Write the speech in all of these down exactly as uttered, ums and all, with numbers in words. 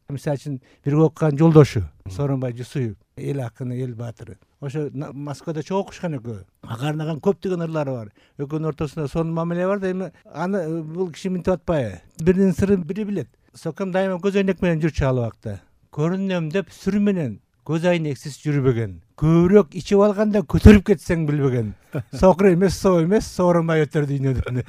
мисалы үчүн бирге окуган жолдошу Сооронбай Жусуев, эл акыны, эл баатыры. Ошо Москвада чогуу окушкан экөө. Ага арнаган көптөгөн ырлары бар. Экөөнүн ортосунда сонун мамиле бар да, эми аны бул киши минтип атпайбы? Биринин сырын бири билет. Сокам дайыма көз айнек менен жүрчү ал убакта. Көрүнөм деп сүр менен көз айнексиз жүрбөгөн. Көбүрөөк ичип алганда көтөрүп кетсең билбеген. Сокур эмес, соо эмес, сооронбай өтөр дүйнөдөн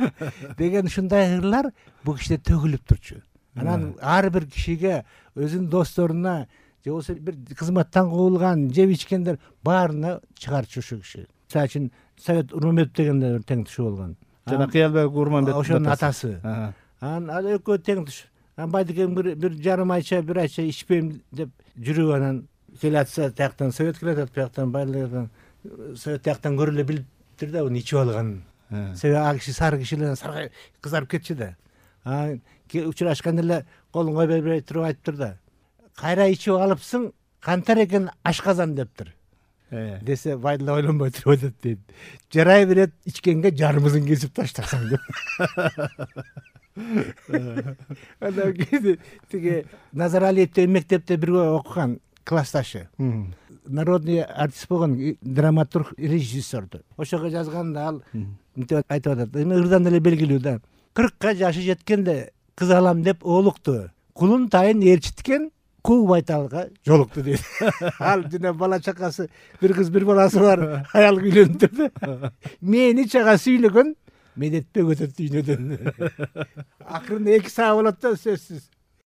деген ушундай ырлар бул кишиде төгүлүп турчу. Анан ар бир кишиге, өзүнүн досторуна, же болбосо бир кызматтан куугулган, жеп ичкендер баарына чыгарчу ушу киши. Мисалы үчүн Совет Урманбетов деген да тең тушу болгон. Жана Кыялбек Урманбетов ошонун атасы. Анан ал экөө тең туш. Анан Байдыкен бир бир жарым айча, бир айча ичпейм деп жүрүп, анан келатса тияктан Совет келатат, бияктан Байдыкен, Совет тияктан көрө эле билиптир да, уну ичип алганын. Себеби ал киши сары кишилер саргайып кызарып кетчү да. Анан учурашканда эле колун кой бербей туруп айтыптыр да. Кайра ичип алыпсың, кантар экен ашказан дептир. Десе Байдыла ойлонбой туруп айтат дейт. Жарай берет, ичкенге жарымызын кесип таштасаң деп. Анан кийин тиги Назар Алиев деген мектепте бирге окуган классташы. Народный артист болгон, драматург, режиссердү. Ошого жазганда ал мынтип айтып атат. Эми ырдан эле белгилүү да. кыркка жашы жеткенде кыз алам деп оолукту. Кулун тайын ээрчиткен куу байталга жолукту дейт. Ал жана бала чакасы, бир кыз бир баласы бар, аял үйлөнүптүр да. Мени чагасы үйлөгөн, медетпек өтөт дүйнөдөн. Акырында эки саа болот да, сөзсүз.